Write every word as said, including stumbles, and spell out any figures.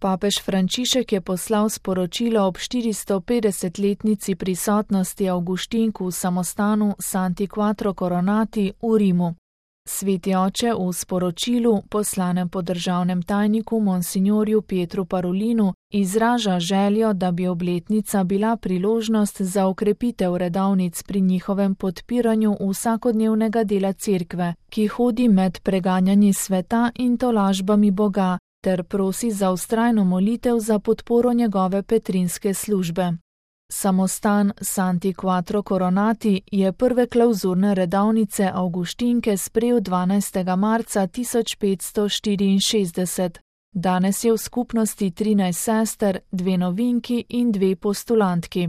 Papež Frančišek je poslal sporočilo ob štiristopedesetletnici prisotnosti Avguštink v samostanu Santi Quattro Coronati v Rimu. Sveti oče v sporočilu, poslanem po državnem tajniku monsignorju Pietru Parolinu, izraža željo, da bi obletnica bila priložnost za okrepitev redovnic pri njihovem podpiranju vsakodnevnega dela cerkve, ki hodi med preganjanji sveta in tolažbami Boga, ter prosi za vztrajno molitev za podporo njegove petrinske službe. Samostan Santi Quattro Coronati je prve klavzurne redovnice Avguštinke sprejel dvanajstega marca tisoč petsto štiriinšestdeset. Danes je v skupnosti trinajst sester, dve novinki in dve postulantki.